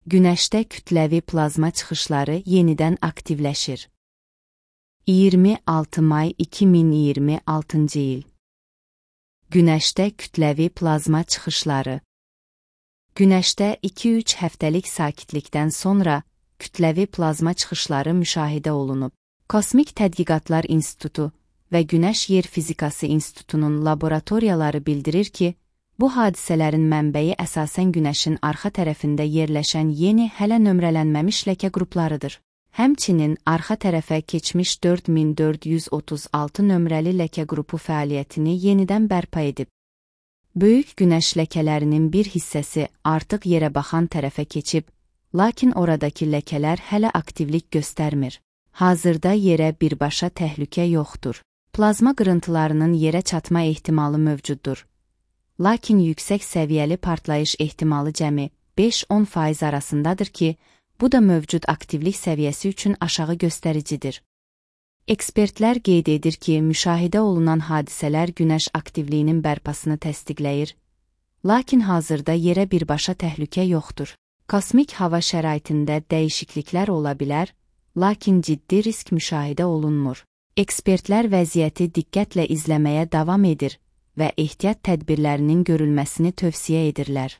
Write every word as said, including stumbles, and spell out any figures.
Günəşdə kütləvi plazma çıxışları yenidən aktivləşir. iyirmi altı may iki min iyirmi altıncı il. Günəşdə kütləvi plazma çıxışları. Günəşdə iki üç həftəlik sakitlikdən sonra kütləvi plazma çıxışları müşahidə olunub. Kosmik Tədqiqatlar İnstitutu və Günəş Yer Fizikası İnstitutunun laboratoriyaları bildirir ki, bu hadisələrin mənbəyi əsasən Günəşin arxa tərəfində yerləşən yeni, hələ nömrələnməmiş ləkə qruplarıdır. Həmçinin arxa tərəfə keçmiş dörd min dörd yüz otuz altı nömrəli ləkə qrupu fəaliyyətini yenidən bərpa edib. Böyük Günəş ləkələrinin bir hissəsi artıq yerə baxan tərəfə keçib, lakin oradakı ləkələr hələ aktivlik göstərmir. Hazırda yerə birbaşa təhlükə yoxdur. Plazma qırıntılarının yerə çatma ehtimalı mövcuddur. Lakin yüksək səviyyəli partlayış ehtimalı cəmi beş on faiz arasındadır ki, bu da mövcud aktivlik səviyyəsi üçün aşağı göstəricidir. Ekspertlər qeyd edir ki, müşahidə olunan hadisələr Günəş aktivliyinin bərpasını təsdiqləyir, lakin hazırda yerə birbaşa təhlükə yoxdur. Kosmik hava şəraitində dəyişikliklər ola bilər, lakin ciddi risk müşahidə olunmur. Ekspertlər vəziyyəti diqqətlə izləməyə davam edir və ehtiyat tədbirlərinin görülməsini tövsiyə edirlər.